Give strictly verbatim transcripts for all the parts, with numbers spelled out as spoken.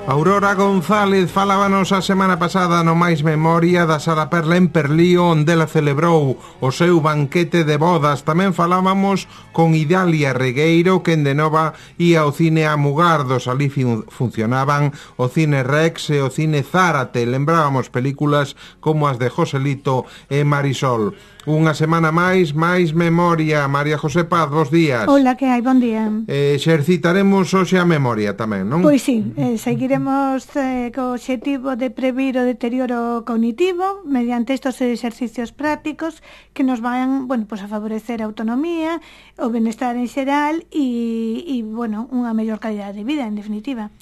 Aurora González falábanos a semana pasada no Máis Memoria da Sala Perla en Perlío, onde ela celebrou o seu banquete de bodas. Tamén falábamos con Idalia Regueiro, que en de nova ia ao cine a Mugardos. Ali fun funcionaban o Cine Rex e o Cine Zárate. Lembrábamos películas como as de Joselito e Marisol. Unha semana máis, máis memoria. María José Paz, bos días. Hola, que hai? Bon día. Eh, exercitaremos hoxe a memoria tamén, non? Pois sí, eh, seguiremos eh, co obxectivo de previr o deterioro cognitivo mediante estos exercicios prácticos que nos van, bueno, pues a favorecer a autonomía, o benestar en xeral e, e bueno, unha mellor calidade de vida, en definitiva.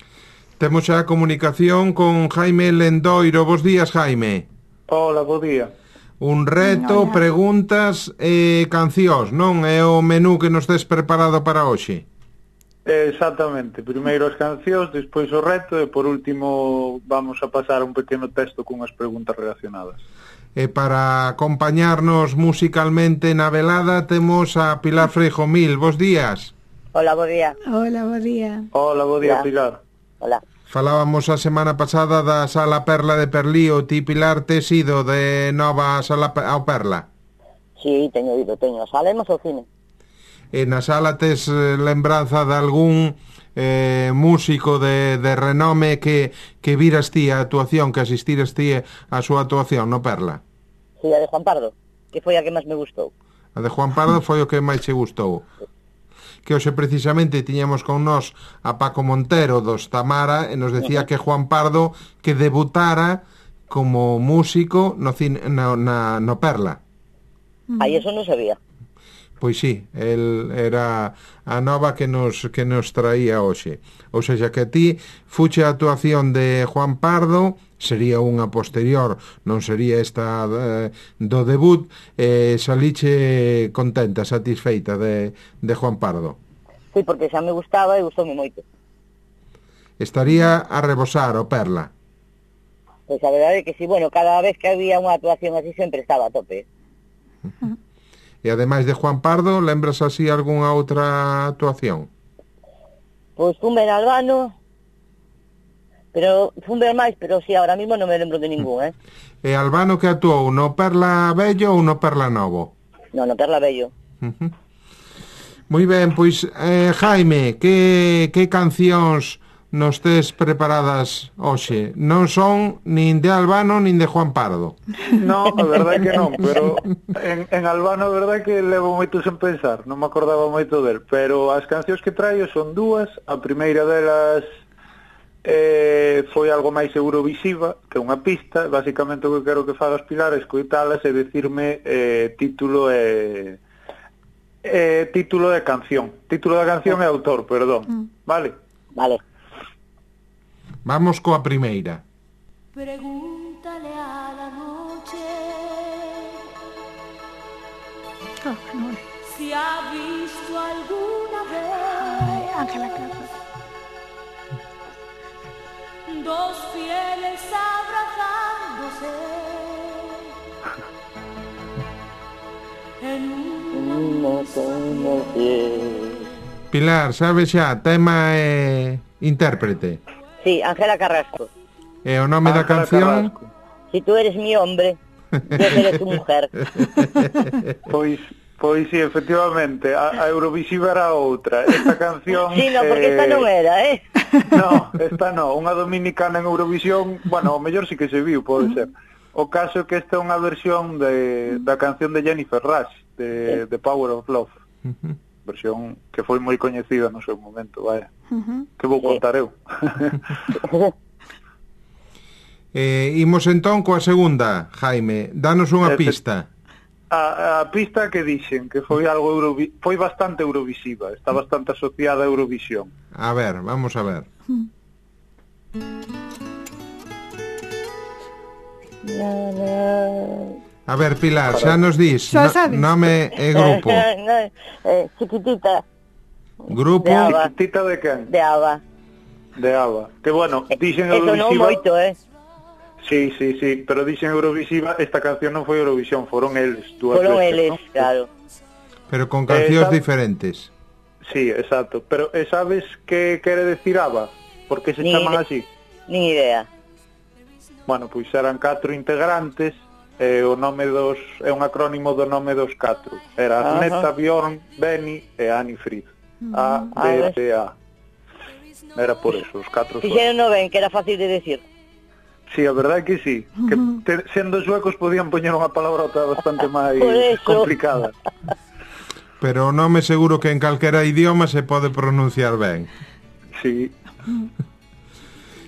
Temos xa a comunicación con Jaime Lendoiro. Bos días, Jaime. Hola, bo día. Un reto, Hola. Preguntas e cancións, non? É o menú que nos tes preparado para hoxe. Exactamente, primeiro as cancións, despois o reto e por último vamos a pasar un pequeno texto cunhas preguntas relacionadas. E para acompañarnos musicalmente na velada temos a Pilar Freijomil. Bos días. Hola, bo día. Hola, bo día. Hola, bo día, Hola. Pilar. Hola. Falábamos a semana pasada da Sala Perla de Perlío. Ti, Pilar, tes ido de nova a Sala ao Perla? Sí, teño ido, teño. Salemos ao cine. E na sala tes eh, lembranza de algún eh, músico de, de renome que, que viras ti a actuación, que asistiras ti a súa actuación no Perla? Sí, a de Juan Pardo, que foi a que máis me gustou. A de Juan Pardo foi o que máis che gustou. Que hoxe precisamente tiñamos con nós a Paco Montero dos Tamara e nos decía que Juan Pardo que debutara como músico no, cine, no, na, no Perla. Aí eso non sabía. Pois sí, el era a nova que nos que nos traía hoxe. Ou seja, que a ti fuche a actuación de Juan Pardo, sería unha posterior, non sería esta eh, do debut, e eh, saliche contenta, satisfeita de, de Juan Pardo. Sí, porque xa me gustaba e gustoume moito. Estaría a rebosar o Perla. Pois a verdade é que sí, bueno, cada vez que había unha actuación así sempre estaba a tope. E ademais de Juan Pardo, lembras así algunha outra actuación? Pois fun ver Albano, pero fun ver máis, pero sí, ahora mismo non me lembro de ningún, eh? E Albano que actuou no Perla Bello ou no Perla Novo? Non, no Perla Bello. Uh-huh. Moi ben, pois, eh, Jaime, que, que cancións nos tes preparadas hoxe? Non son nin de Albano nin de Juan Pardo. No, a verdade que non, pero en, en Albano a verdade que levo moito sen pensar, non me acordaba moito del, pero as cancións que traio son dúas. A primeira delas eh, foi algo máis eurovisiva, que unha pista. Basicamente o que quero que fagas, Pilar, é escoitalas e decirme eh, título e eh, título de canción. Título da canción e autor, perdón. Vale? Vale. Vamos coa primeira. Pregúntale a la noche Oh, no. si ha visto alguna vez Ay, Ángela Carlos. dos fieles abrazándose en una Pilar, sabes xa, tema e intérprete. Sí, Ángela Carrasco. E o nome da Ángela canción? Carrasco. Si tú eres mi hombre, yo seré tu mujer. Pois, pois sí, efectivamente, a, a Eurovisiva era outra. Esta canción... Sí, no, porque esta non era, eh? No, esta no, unha dominicana en Eurovisión, bueno, o mellor sí que se viu, pode ser. O caso é que esta é unha versión de, da canción de Jennifer Rush, de The Power of Love. Uh-huh. Versión que foi moi coñecida no seu momento, vaya. Uh-huh. Que vou contar eu. Eh, imos entón coa segunda, Jaime. Danos unha Este- pista. A, a pista que dixen que foi algo Eurovi- foi bastante eurovisiva, está bastante asociada a Eurovisión. A ver, vamos a ver. A ver, Pilar, xa nos dis Xa no, sabes. nome e grupo. eh, chiquitita, Grupo De Ava. Tita de quen? de Ava. De Ava. Que bueno, dixen Eso non Eurovisiva. moito, eh? Sí, sí, sí, pero dixen Eurovisiva, esta canción non foi Eurovisión, foron eles, dúas Foron veces, eles, ¿no? claro. pero con cancións Esa- diferentes. Sí, exacto, pero e sabes que quere decir Ava? Por que se Ni chaman de- así? Nin idea. Bueno, pois eran catro integrantes e o nome dos é un acrónimo do nome dos catro. Era Agneta, Bjorn, Benny e Annie Frid. A, B, T, A. Era por eso, os catro suecos. Fixeron no ben, que era fácil de decir. Sí, a verdade é que sí. Que te, sendo suecos podían poñer unha palabrota bastante máis complicada. Pero o nome seguro que en calquera idioma se pode pronunciar ben. Sí.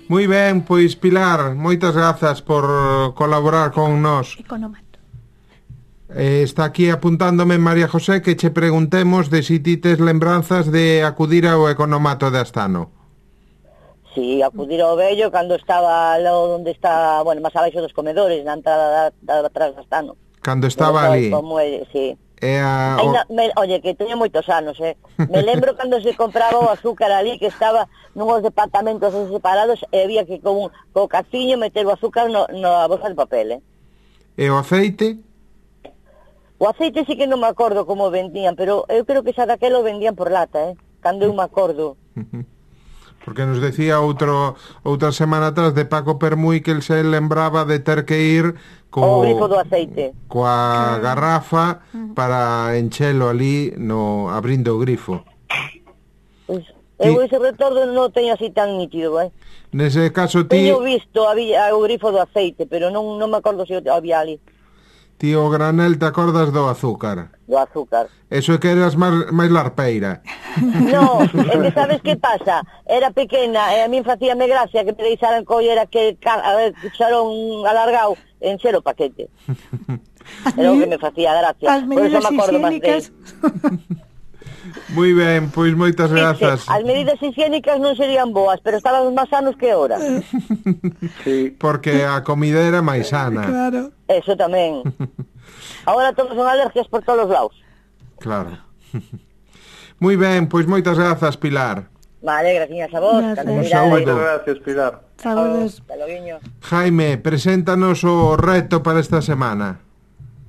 Moi ben, pois Pilar, moitas grazas por colaborar con nós. Economato. Eh, está aquí apuntándome María José que che preguntemos de si ti tes lembranzas de acudir ao economato de Astano. Sí, acudir ao vello cando estaba lo onde está, bueno, máis abaixo dos comedores, na entrada da, da atrás de Astano. Cando estaba ali. Como é, sí. E a, o... Ainda, me, oye, que teño moitos anos, eh. Me lembro cando se compraba o azúcar ali, que estaba nunhos departamentos separados e había que con co caciño meter o azúcar no, no a bolsa de papel, eh. E o aceite? O aceite sí que non me acordo como vendían, pero eu creo que xa daquelo vendían por lata, eh. Cando eu me acordo. Porque nos decía outro outra semana atrás de Paco Permui que el se lembraba de ter que ir co o grifo do aceite, coa garrafa para enchelo ali no abrindo o grifo. Pois eu ese retorno non teño así tan nítido, eh. Nese caso ti teño visto había o grifo do aceite, pero non non me acordo se había ali. Tío Granel, te acordas do azúcar? Do azúcar. Eso é que eras máis, máis larpeira. No, é que sabes que pasa? Era pequena e a min facíame gracia que me deixaran coller aquel cucharón alargado en xero paquete. Era o que me facía gracia. As medidas higiénicas. Moi ben, pois moitas grazas. As medidas higiénicas non serían boas, pero estaban máis sanos que ahora. Sí. Porque a comida era máis sana. Claro. Eso tamén. Ahora todos son alergias por todos os lados. Claro. Moi ben, pois moitas grazas, Pilar. Vale, gracias a vos. Moitas gracias, Pilar. Saludos. Jaime, preséntanos o reto para esta semana.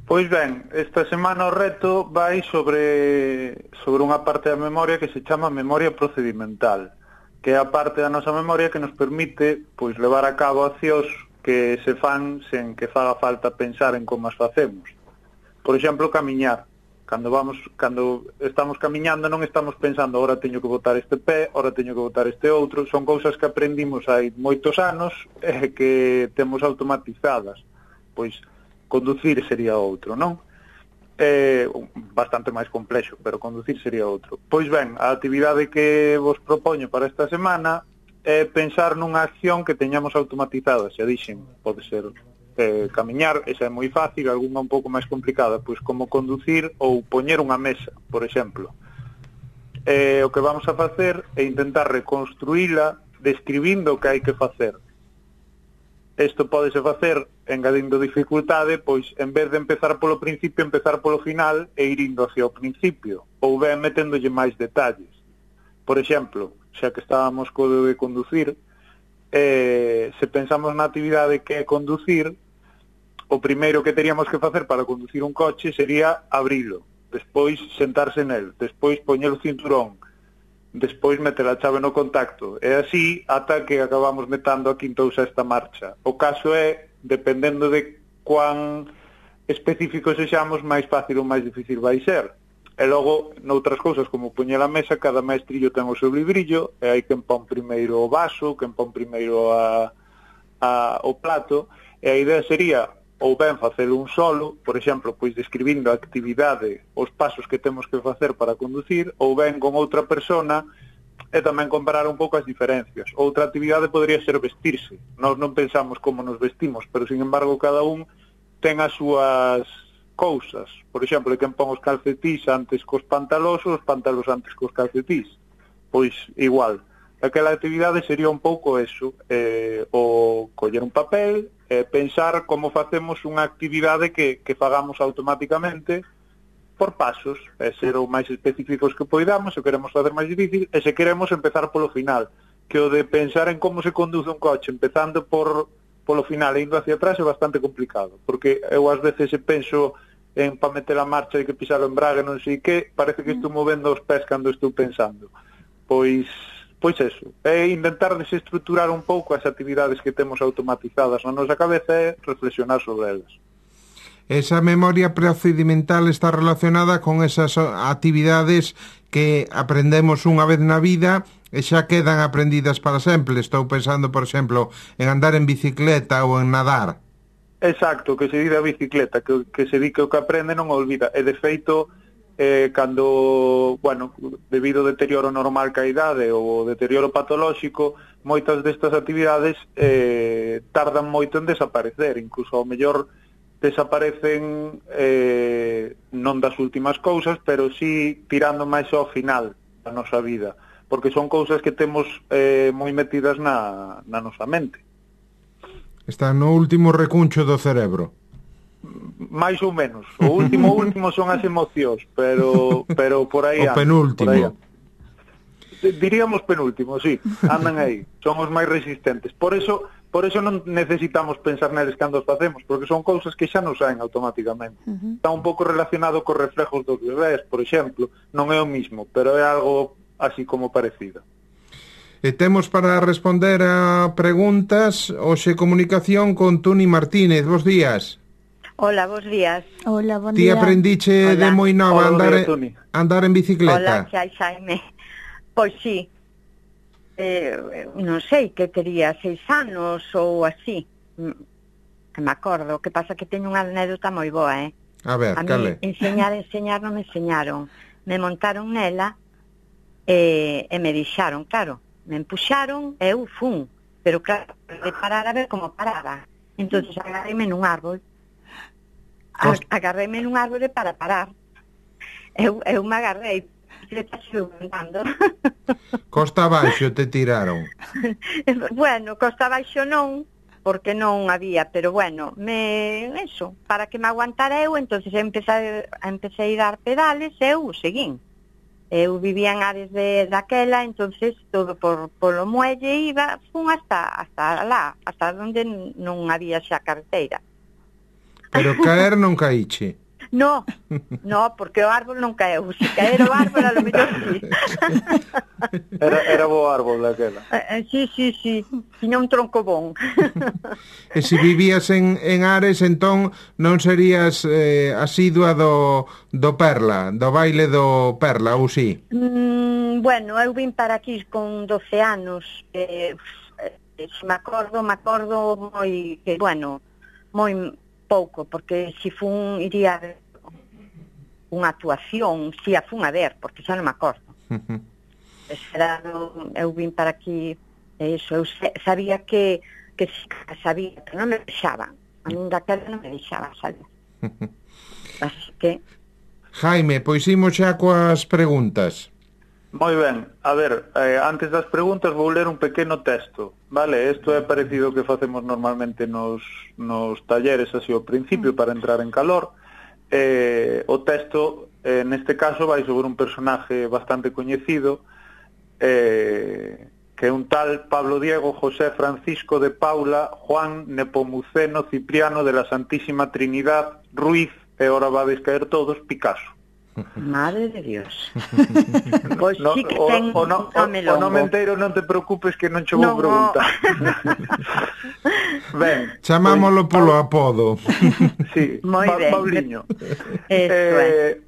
Pois ben, esta semana o reto vai sobre sobre unha parte da memoria que se chama memoria procedimental, que é a parte da nosa memoria que nos permite pois levar a cabo accións que se fan sen que faga falta pensar en como as facemos. Por exemplo, camiñar. Cando vamos, cando estamos camiñando non estamos pensando ahora teño que botar este pé, ahora teño que botar este outro, son cousas que aprendimos hai moitos anos e que temos automatizadas. Pois conducir sería outro, non? É bastante máis complexo, pero conducir sería outro. Pois ben, a actividade que vos propoño para esta semana é pensar nunha acción que teñamos automatizada, xa dixen, pode ser eh, camiñar, esa é moi fácil, algunha un pouco máis complicada, pois como conducir ou poñer unha mesa, por exemplo. Eh, o que vamos a facer é intentar reconstruíla describindo o que hai que facer. Isto podese facer engadindo dificultade, pois en vez de empezar polo principio, empezar polo final e ir indo hacia o principio, ou ben meténdolle máis detalles. Por exemplo, xa que estábamos co de conducir, eh, se pensamos na actividade que é conducir, o primeiro que teríamos que facer para conducir un coche sería abrilo, despois sentarse nel, despois poñer o cinturón, despois meter a chave no contacto, e así ata que acabamos metando a quinta ou sexta marcha. O caso é, dependendo de cuán específicos sexamos, máis fácil ou máis difícil vai ser. E logo, noutras cousas, como poñer a mesa, cada mestrillo ten o seu librillo, e hai quen pon primeiro o vaso, quen pon primeiro a, a, o plato, e a idea sería ou ben facer un solo, por exemplo, pois describindo a actividade, os pasos que temos que facer para conducir, ou ben con outra persona e tamén comparar un pouco as diferencias. Outra actividade podría ser vestirse. Nós non pensamos como nos vestimos, pero sin embargo cada un ten as súas cousas. Por exemplo, quen pon os calcetís antes cos pantalós ou os pantalós antes cos calcetís. Pois igual. Aquela actividade sería un pouco eso, eh, o coller un papel e eh, pensar como facemos unha actividade que, que fagamos automáticamente por pasos, e ser o máis específicos que poidamos, se queremos facer máis difícil, e se queremos empezar polo final, que o de pensar en como se conduce un coche empezando por polo final e indo hacia atrás é bastante complicado, porque eu ás veces se penso en para meter a marcha e que pisar o embrague non sei que, parece que estou movendo os pés cando estou pensando. Pois pois eso, é intentar desestruturar un pouco as actividades que temos automatizadas na nosa cabeza e reflexionar sobre elas. Esa memoria procedimental está relacionada con esas actividades que aprendemos unha vez na vida e xa quedan aprendidas para sempre. Estou pensando, por exemplo, en andar en bicicleta ou en nadar. Exacto, que se di da bicicleta, que, que se di que o que aprende non olvida. E de feito, eh, cando, bueno, debido ao deterioro normal ca idade ou ao deterioro patolóxico, moitas destas actividades eh, tardan moito en desaparecer, incluso ao mellor desaparecen eh, non das últimas cousas, pero sí tirando máis ao final da nosa vida, porque son cousas que temos eh, moi metidas na, na nosa mente. Está no último recuncho do cerebro. máis ou menos. O último último son as emocións, pero pero por aí o andan, penúltimo. por aí andan. Diríamos penúltimo, sí, andan aí, son os máis resistentes. Por eso, por eso non necesitamos pensar neles cando os facemos, porque son cousas que xa non saen automáticamente. Uh-huh. Está un pouco relacionado cos reflejos dos bebés, por exemplo, non é o mismo, pero é algo así como parecido. E temos para responder a preguntas hoxe comunicación con Tuni Martínez. Bos días. Hola, bos días. Hola, bon Ti día. aprendiche Hola. de moi nova Hola, andar, Tuni. andar en bicicleta? Hola, xa, Xaime. Pois sí. Eh, non sei que tería seis anos ou así. Que me acordo. O que pasa que teño unha anécdota moi boa, eh? A ver, A cale? mí enseñar, enseñar non me enseñaron. Me montaron nela e, e me deixaron, claro. Me empuxaron e eu fun. Pero claro, de parar a ver como paraba. Entonces agarréme nun árbol. A, agarréme nun árbore para parar. Eu, eu me agarrei. Costa abaixo te tiraron. Bueno, costa abaixo non, porque non había, pero bueno, me eso, para que me aguantara eu, entonces empecé, empecé a dar pedales e eu seguín. Eu vivía en Ares de daquela, entonces todo por polo muelle iba, fun hasta hasta lá, hasta onde non había xa carreteira. Pero caer non caíche. No, no, porque o árbol non caeu. Se caer o árbol, a lo mellor sí. Era, era bo árbol daquela. Eh, sí, sí, sí. Tiña un tronco bon. E se vivías en, en Ares, entón non serías eh, asidua do, do Perla, do baile do Perla, ou sí? Mm, bueno, eu vim para aquí con doce anos. Eh, eh, se me acordo, me acordo moi, que, bueno, moi pouco, porque se fun, iría a ver unha actuación, si a fun a ver, porque xa non me acordo. Uh-huh. Era, eu vim para aquí, eso, eu sabía que, que sabía, que non me deixaba. A min daquela non me deixaba, sabe? Uh-huh. Así que... Jaime, pois imos xa coas preguntas. Moi ben, a ver, eh, antes das preguntas vou ler un pequeno texto, vale? Isto é parecido ao que facemos normalmente nos, nos talleres así ao principio para entrar en calor. Eh, o texto, eh, neste caso, vai sobre un personaje bastante coñecido, eh, que é un tal Pablo Diego José Francisco de Paula Juan Nepomuceno Cipriano de la Santísima Trinidad Ruiz, e ora vades caer todos, Picasso. Madre de Dios. Pois no, sí que o, ten o, no, nome o, o longo. nome inteiro non te preocupes que non che vou no, preguntar. Ben, chamámolo pois, polo apodo. Sí, Moi pa, ben. Pauliño. eh,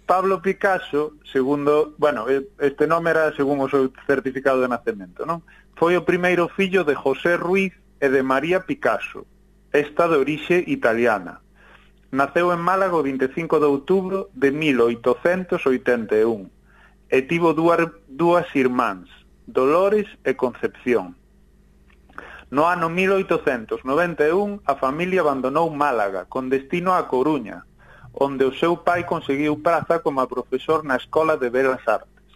Pablo Picasso, segundo, bueno, este nome era según o seu certificado de nacemento, non? Foi o primeiro fillo de José Ruiz e de María Picasso, esta de orixe italiana. Naceu en Málaga o vinte e cinco de outubro de mil oitocentos oitenta e un e tivo dúas, dúas irmáns, Dolores e Concepción. No ano mil oitocentos noventa e un a familia abandonou Málaga con destino a Coruña, onde o seu pai conseguiu praza como profesor na Escola de Belas Artes.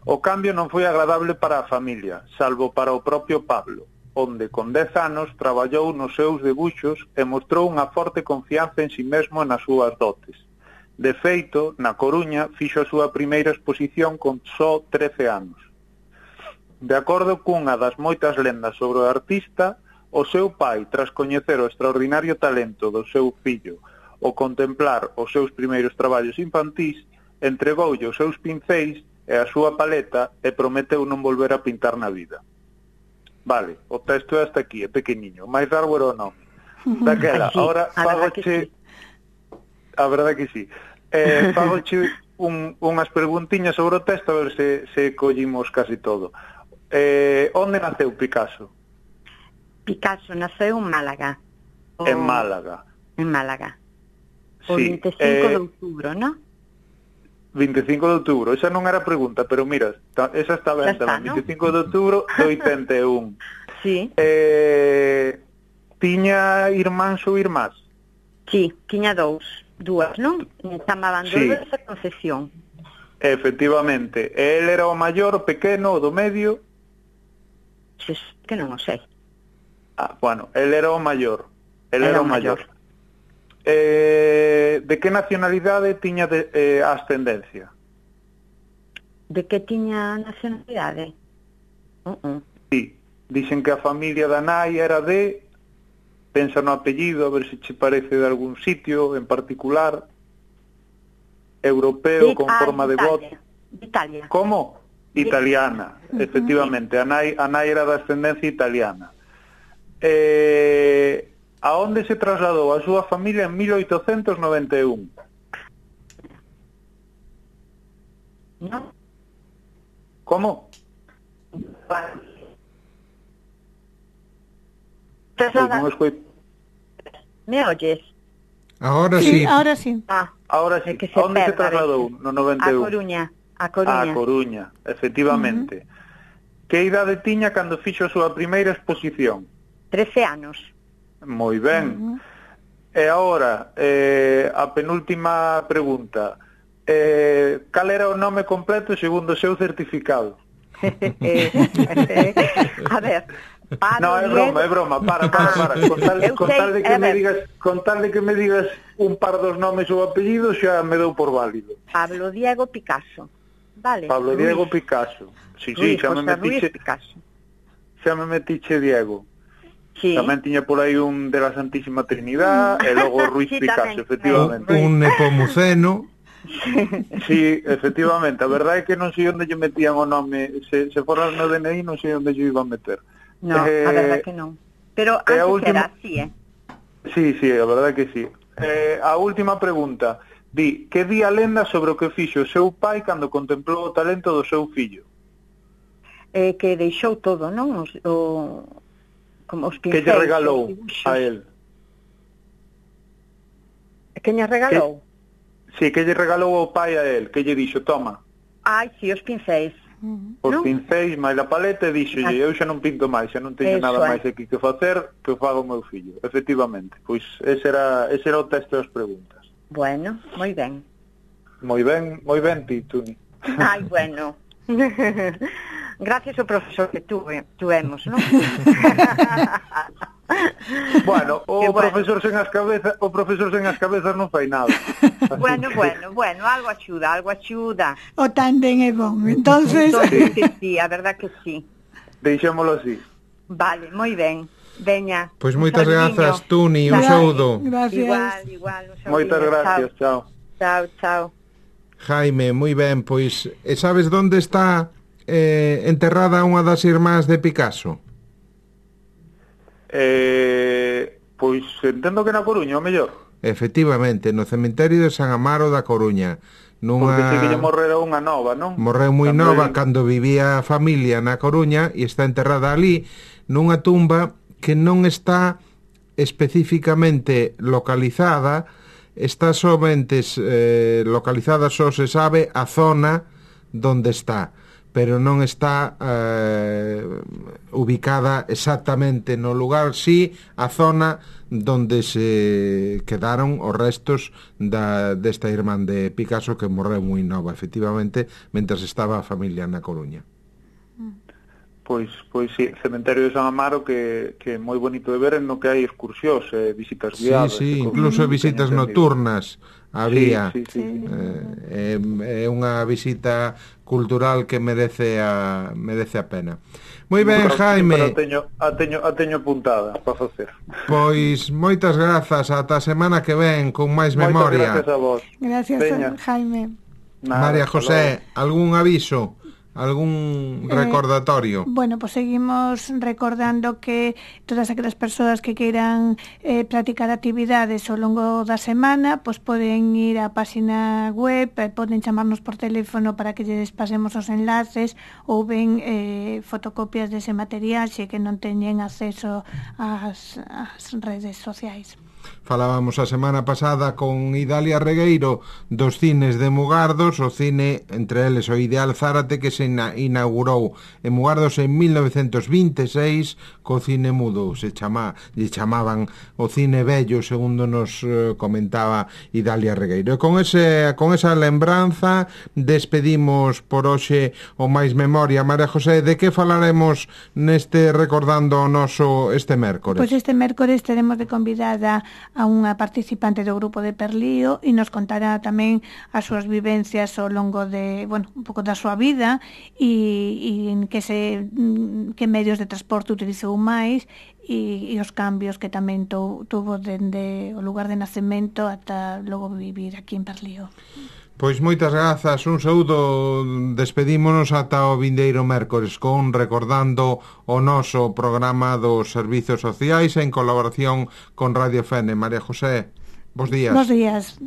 O cambio non foi agradable para a familia, salvo para o propio Pablo, onde con dez anos traballou nos seus debuxos e mostrou unha forte confianza en si mesmo e nas súas dotes. De feito, na Coruña fixo a súa primeira exposición con só trece anos. De acordo cunha das moitas lendas sobre o artista, o seu pai, tras coñecer o extraordinario talento do seu fillo o contemplar os seus primeiros traballos infantís, entregoulle os seus pincéis e a súa paleta e prometeu non volver a pintar na vida. Vale, o texto é hasta aquí, é pequeniño. Máis largo era o nome. Daquela, Sí, ahora a verdad que fagoche... sí. A verdade que sí. Eh, fagoche un, unhas preguntiñas sobre o texto, a ver se, se collimos casi todo. Eh, onde naceu Picasso? Picasso naceu en Málaga. O... En Málaga. En Málaga. O Sí, veinticinco eh, de outubro, ¿no? veinticinco de outubro. Esa non era pregunta, pero mira, ta, esa está ben, Xa está, tamén. ¿no? veinticinco de outubro de oitenta e un. Sí, Eh, tiña irmáns ou irmás? sí, tiña dous, dúas, non? Chamaban Sí. Dolores e Concepción. Efectivamente. El era o maior, o pequeno, o do medio? Xes, que non o sei. Ah, bueno, el era o maior. El Era era, o o maior. maior. Eh, de que nacionalidade tiña de, eh, ascendencia? De que tiña nacionalidade? Uh -uh. Sí, dicen que a familia da nai era de... Pensa no apellido, a ver se che parece de algún sitio en particular. Europeo, De- con ah, forma de Italia. bot. De Italia. Como? Italiana, efectivamente. A nai, a nai era de ascendencia italiana. Eh, a onde se trasladou a súa familia en mil oitocentos noventa e un? ¿No? Como? Pois non escoito. ¿Me oyes? Ahora Sí, sí. ahora sí. Ah, Ahora sí, é que a onde se perda a trasladou veces. no noventa A e un? Coruña. A Coruña. A Coruña, efectivamente. Que idade tiña cando fixo a súa primeira exposición? trece anos. Moi ben. E agora, eh, a penúltima pregunta. Eh, cal era o nome completo segundo o seu certificado? A ver, Pablo No, é Diego- broma, é broma, para, para, para. Con tal, Eu con sei, tal de que a me ver. digas, con tal de que me digas un par dos nomes ou apellidos, xa me dou por válido. Pablo Diego Picasso. Vale. Pablo Luis, Diego Picasso. Sí, sí, Luis xa me José Luis metiche, Picasso. xa me metiche Diego. Sí. Tamén tiña por aí un de la Santísima Trinidad e logo Ruiz Sí, Picasso, tamén. efectivamente. Un nepomuceno. Sí, efectivamente, a verdade é que non sei onde lle metían o nome, se, se fora no D N I non sei onde lle iba a meter. No, Eh, a verdad que non. Pero e a antes última- era así, eh? Sí, sí, a verdade que sí. Eh, a última pregunta, di, que di a lenda sobre o que fixo o seu pai cando contemplou o talento do seu fillo? eh que deixou todo, non? Os, o, como os Que pincéis, lle regalou os dibuxos. a él? Que lle regalou? Sí, que lle regalou o pai a él, que lle dixo, toma, Ai, si, os pincéis. os Non? pincéis, máis a paleta e dixo, eu xa non pinto máis, xa non teño Eso nada é. máis aquí que facer, que o faga o meu fillo. Efectivamente, pois ese era, ese era o texto das preguntas. Bueno, moi ben. Moi ben, moi ben ti, Tuni. Ai, bueno. Gracias ao profesor que tuve, tuvemos, non? Bueno, o Que bueno. profesor sen as cabezas, o profesor sen as cabezas non fai nada. Así Bueno, que- bueno, bueno, algo axuda, algo axuda. O tándem é bon. Entonces, Entonces, que sí, a verdad que sí. Deixémolo así. Vale, moi ben. Veña. Pois un moitas saludiño. grazas, Tuni, un Vale. saúdo. gracias. Igual, igual. un saludiño. Moitas gracias, chao. Chao, chao. Jaime, moi ben, pois, e sabes onde está eh, enterrada unha das irmás de Picasso? Eh, pois entendo que na Coruña, o mellor. Efectivamente, no cemiterio de San Amaro da Coruña. Porque sei que lle Nunha... morrera unha nova, non? Morreu moi Tamén- nova cando vivía a familia na Coruña e está enterrada ali nunha tumba que non está especificamente localizada, está somente eh, localizada, só se sabe a zona donde está, pero non está eh, ubicada exactamente no lugar, sí, a zona donde se quedaron os restos da, desta irmán de Picasso que morreu moi nova, efectivamente, mentras estaba a familia na Coruña. Pois, pois sí, cementerio de San Amaro que, que é moi bonito de ver, no que hai excursións, eh, visitas Sí, guiadas. sí, e incluso cosas, visitas teño entendido. nocturnas había. Sí, sí, sí, sí. Eh, é, é unha visita cultural que merece a merece a pena. Moi ben, Pero- Jaime. Pero a teño, a teño, a teño apuntada para facer. Pois moitas grazas, ata a semana que ven con máis Moitas memoria. gracias a vos. Gracias, Veña. Jaime. Nada, María José, algún aviso? Algún recordatorio? Eh, bueno, pues seguimos recordando que todas aquelas persoas que queiran eh, practicar actividades ao longo da semana, pues poden ir á página web, eh, poden chamarnos por teléfono para que lles pasemos os enlaces ou ben eh, fotocopias dese material xe que non teñen acceso ás, ás redes sociais. Falábamos a semana pasada con Idalia Regueiro dos cines de Mugardos, o cine, entre eles o Ideal Zárate, que se inaugurou en Mugardos en mil novecentos vinte e seis co cine mudo, se chama, lle chamaban o cine bello, segundo nos eh, comentaba Idalia Regueiro. E con, ese, con esa lembranza despedimos por hoxe o máis memoria. María José, de que falaremos neste recordando o noso este mércores? Pois este mércores teremos de convidada a unha participante do grupo de Perlío e nos contará tamén as súas vivencias ao longo de, bueno, un pouco da súa vida e, e en que se que medios de transporte utilizou máis e, e os cambios que tamén tu, tuvo dende o lugar de nacemento ata logo vivir aquí en Perlío. Pois moitas grazas, un saúdo, despedímonos ata o vindeiro mércores con recordando o noso programa dos servizos sociais en colaboración con Radio Fene. María José, bos días. Bos días.